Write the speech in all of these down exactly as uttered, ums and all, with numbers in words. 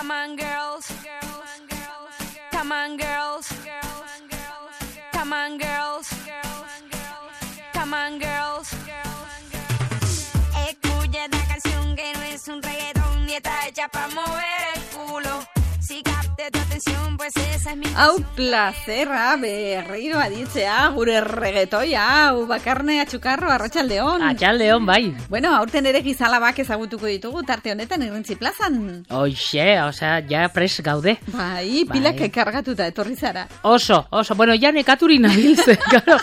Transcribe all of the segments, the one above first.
Come on, girls. Come on, girls. Come on, girls. Come on, girls. Escucha esta canción que no es un reggaetón y está hecha para mover el culo. Si capte tu atención, pues esa es mi Hau plazerra berriro aditzea gure reggaetoia, hau bakarne atxukarro arratsaldeon. Atxaldeon, bai. Bueno, aurten ere gizalabak ezagutuko ditugu tarte honetan Irrintzi plazan. Oixe, osea, ja pres gaude. Bai, pilak Bai. kargatuta etorri zara. Oso, oso, bueno, ja nekaturi nabilze, claro.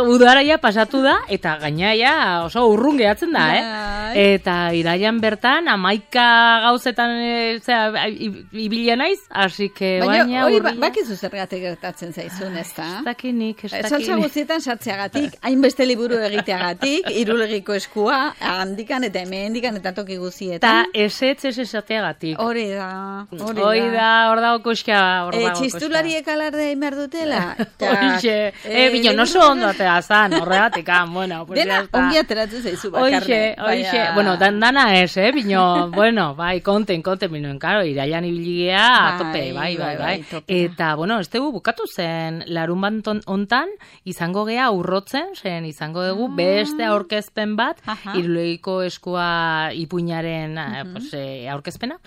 Udara ja pasatu da, eta gaina ja oso urrun gehatzen da, eh? Bai. Eta iraian bertan, amaika gauzetan, e, zera, ibilia naiz, así que Baina baina hori ba- urria. bakizu zergatik gertatzen zaizun, ezta? Ez dakinik, ez Saltza dakinik. guztietan sartzeagatik, hainbeste liburu egiteagatik, irulegiko eskua, handikan eta hemendikan eta toki Eta guztietan. esetz ez esateagatik. Hori da, hori Hoi da, hor dago koska, hor E, dago koska. txistulariek alarde behar dutela. Oixe, eh, bino, no so ondo atea zan, horregatik, ah, bueno, pues Dena ya está. ongi ateratzen zaizu bakarne. Oixe, oixe, baina- bueno, dan, dana ez, eh, bino, bueno, bai, konten, konten, bino, karo, iraian ibiligea, a tope, bai, bai, bai. tope. Eta, bueno, ez dugu bukatu zen, larun bat ontan, izango gea urrotzen, zen, izango dugu beste aurkezpen bat, Aha. irulegiko eskua ipuinaren, eh, pues, eh, aurkezpena,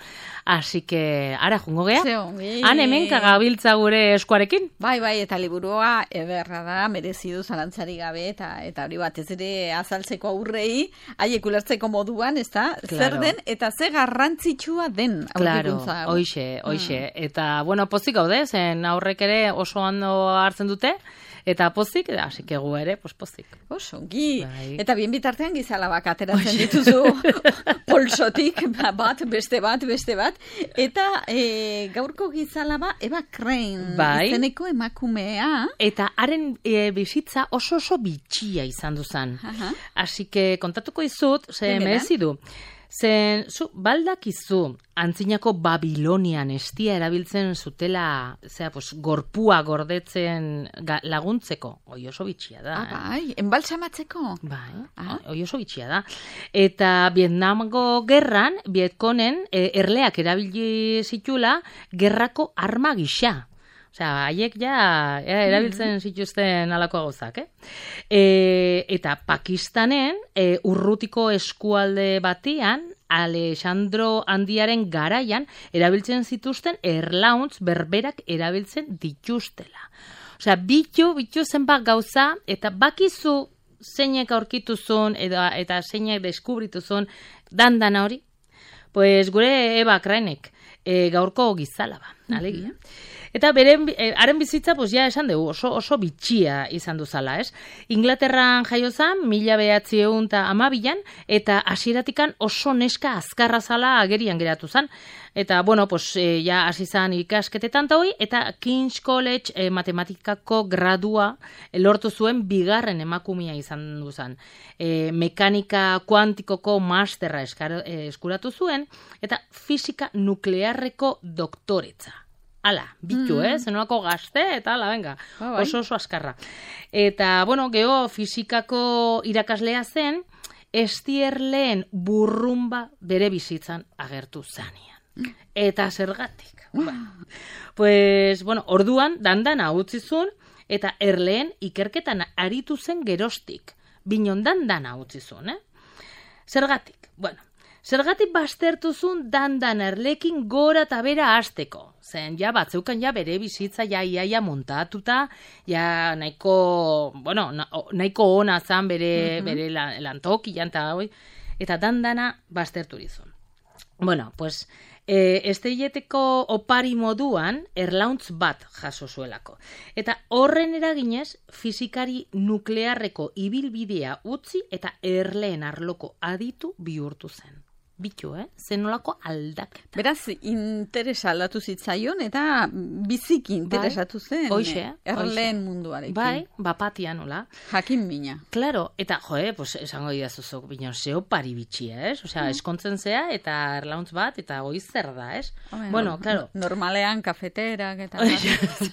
así que, ara, jungo gea, Ze ongi. han hemen kagabiltza gure eskuarekin. Bai, bai, eta liburua ederra da, merezi du zalantzari gabe, eta eta hori batez ere azaltzeko aurrei, haiek ulertzeko moduan, ezta? Zer Claro. den, eta ze garrantzitsua den Claro, aurkikuntza hau. hoixe, hoixe. Eta, bueno, pozik gaude, zen aurrek ere oso ondo hartzen dute, eta pozik, hasi que gu ere, pues pozik. Oso, ongi. Bai. Eta bien bitartean gizalabak ateratzen dituzu polsotik, ba- bat, beste bat, beste bat. Eta e, gaurko gizalaba Eva Crane, Bai. izeneko emakumea. Eta haren e, bizitza oso oso bitxia izan duzan. Aha. Así que kontatuko izut, ze Benetan? merezi du. Zen, zu, baldakizu, antzinako Babilonian estia erabiltzen zutela, zera, pues, gorpua gordetzen ga, laguntzeko. Oi oso bitxia da. Ah, eh? bai, enbalsamatzeko. Bai, Ah. oi oso bitxia da. Eta Vietnamgo gerran, Vietkonen e, erleak erabili zitula gerrako arma gisa. Osea, haiek ja era, erabiltzen zituzten alako gauzak, eh? E, eta Pakistanen, e, urrutiko eskualde batian, Alexandro Handiaren garaian, erabiltzen zituzten erlauntz berberak erabiltzen dituztela. Osea, bitu, bitu zenbat gauza, eta bakizu zeinek aurkituzun, eta, eta zeinek deskubrituzun, dandana hori, pues gure Eva Cranek, e, gaurko gizalaba, alegia. Eta beren, eh, haren bizitza, pues ja esan dugu, oso, oso bitxia izan duzala, ez? Inglaterran jaio zan, mila behatziehun eta hamabian, eta hasieratikan oso neska azkarra zala agerian geratu zan. Eta, bueno, pues, eh, ja hasi zan ikasketetan ta hoi, eta King's College eh, matematikako gradua eh, lortu zuen bigarren emakumea izan duzan. Eh, mekanika kuantikoko masterra eskar, eh, eskuratu zuen, eta fisika nuklearreko doktoretza. Ala, bitu, eh? Zenolako gazte, eta ala, venga, Ah, bai. oso oso azkarra. Eta, bueno, geofizikako irakaslea zen, estierleen burrumba bere bizitzan agertu zanean. Eta zergatik. Ba. Pues, bueno, orduan, dandana utzizun, eta erleen ikerketan aritu zen gerostik. Binon dandana utzizun, eh? Zergatik, bueno, zergatik baztertuzun dandan erlekin gora eta bera hasteko. Zen, ja, batzeukan ja bere bizitza ja iaia montatuta, ja nahiko, bueno, na, nahiko ona zan bere, bere la- lantokian eta hoi, eta dandana bazterturizun. Bueno, pues, e, estrelleteko opari moduan erlauntz bat jaso zuelako. Eta horren eraginez, fizikari nuklearreko ibilbidea utzi eta erleen arloko aditu bihurtu zen. Bitu, eh? Zenolako aldaketa. Beraz, interesa aldatu zitzaion, eta biziki interesatu zen. Hoixe, eh, erleen munduarekin. Bai, bapatian, hola. Jakin mina. Claro, eta joe, pues esango didazuzok, bino, zeo pari bitxia, ez? Osea, eskontzen zea, eta erlauntz bat, eta hoi zer da, ez? Hombre, Bueno, no- claro. Normalean kafeterak eta...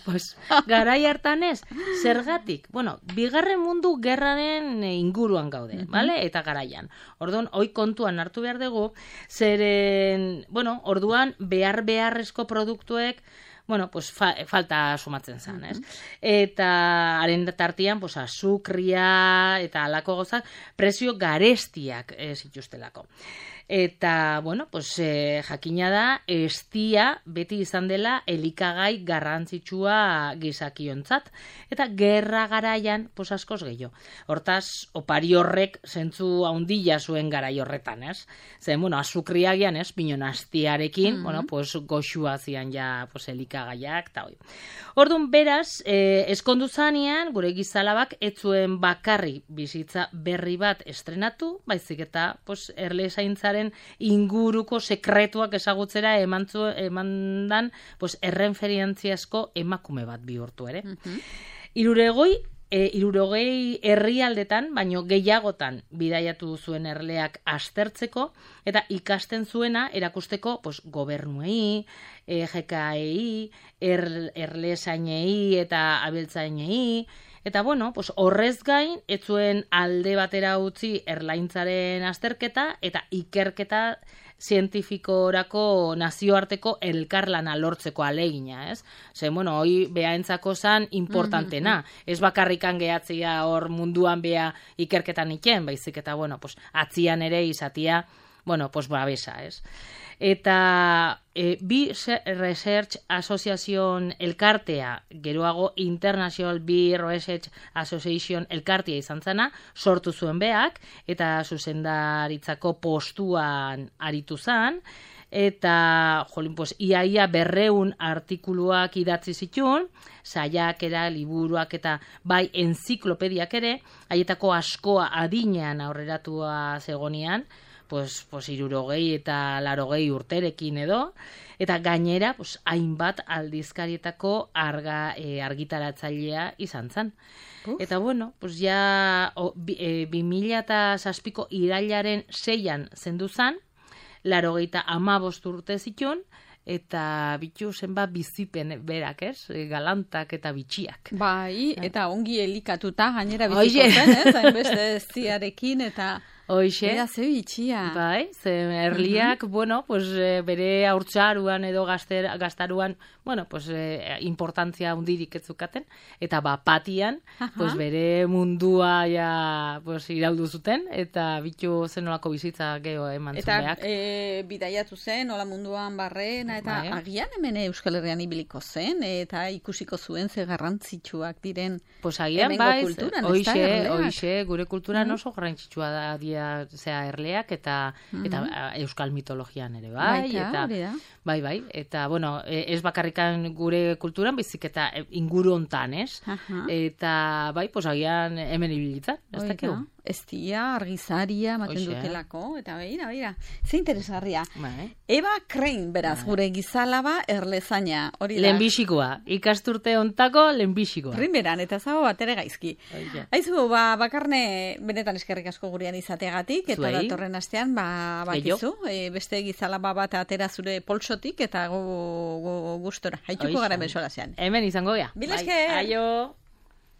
pues, garai hartan ez, zergatik? Bueno, bigarren mundu gerraren eh, inguruan gaude, bale? Eta garaian. Orduan, hoi kontuan hartu behar dugu, zeren, bueno, orduan behar beharrezko produktuek bueno, pues fa, falta sumatzen zen, ez? Eta haren tartian, pues, azukria eta alako gozak, prezio garestiak e, zituztelako. Eta, bueno, pues, e, jakina da, estia beti izan dela elikagai garrantzitsua gizakiontzat. Eta gerra garaian, pues, askoz gehiago. Hortaz, opari horrek zentzu haundila zuen garai horretan, ez? Zen, bueno, azukriagian, ez? Binon astiarekin, mm-hmm. bueno, pues, goxua zian ja, pues, elikagaiak, eta hoi. Orduan, beraz, eh, eskondu zanean, gure gizalabak, etzuen bakarri bizitza berri bat estrenatu, baizik eta, pues, erle zaintzaren inguruko sekretuak ezagutzera emantzu, emandan, pues, errenferientziazko emakume bat bihurtu ere. Mm-hmm. Iruregoi, E, irurogei herrialdetan, baino gehiagotan bidaiatu zuen erleak aztertzeko, eta ikasten zuena erakusteko pues, gobernuei, e, G K E-i, er, erlezainei eta abiltzainei, eta bueno, pues, horrez gain, ez zuen alde batera utzi erlaintzaren azterketa, eta ikerketa zientifikorako nazioarteko elkarlana lortzeko alegina, ez? Ze, bueno, hoi behaentzako zan importantena. Mm-hmm. Ez bakarrikan gehatzia hor munduan beha ikerketan iken, baizik eta, bueno, pues, atzian ere izatia, bueno, pues, babesa, ez? Eta e, bi Research Association elkartea, geroago International Bee Research Association elkartea izan zena, sortu zuen beak, eta zuzendaritzako postuan aritu zan, eta, jolin, pues, iaia berreun artikuluak idatzi zituen, saiakera, liburuak eta bai enziklopediak ere, haietako askoa adinean aurreratua zegonian, pues, pues irurogei eta larogei urterekin edo, eta gainera, pues, hainbat aldizkarietako arga, e, argitaratzailea izan zen. Uf. Eta bueno, pues ja o, bi, e, bi mila eta zazpiko irailaren seian zendu zen, larogeita amabost urte zituen, eta bitu zenba bizipen berak, ez? Galantak eta bitxiak. Bai, eta ongi elikatuta gainera biziko zen, ez? Hainbeste ziarekin eta... Hoxe. Bera, ze bitxia. Bai, ze erliak, uh-huh. bueno, pues, bere haurtzaruan edo gazter, gaztaruan, bueno, pues, eh, importantzia hundirik ez zukaten, eta bapatian, uh-huh. pues, bere mundua ja, pues, iraudu zuten, eta bitu zenolako bizitza geho eman zumeak. Eta e, bidaiatu zen, hola munduan barrena, eta bai. Agian hemen Euskal Herrian ibiliko zen, eta ikusiko zuen ze garrantzitsuak diren pues, agian, hemengo bai, kulturan, ez da, oixe, gure kulturan uh-huh. oso garrantzitsua da, dia zea erleak eta mm-hmm. eta euskal mitologian ere bai. Baita, eta, bai, bai, eta bueno, ez bakarrikan gure kulturan, bizik eta inguru hontan, ez? Uh-huh. Eta bai, pues agian hemen ibilitzen, ez dakigu. Estia, argizaria, maten dutelako, eta beira, beira. Ze interesgarria. Bai. Eva Crane, beraz, bai. Gure gizalaba erlezaina. Hori da. Lehenbixikoa. Ikasturte ontako lehenbixikoa. Primeran, eta zago bat ere gaizki. Oia. Aizu, ba, bakarne, benetan eskerrik asko gurean izateagatik, eta Zuei. Datorren astean, ba, bakizu, e, beste gizalaba bat atera zure poltsotik, eta gu, gu, gustora. Haituko gara besola zean. Hemen izango gea. Bilesker! Aio!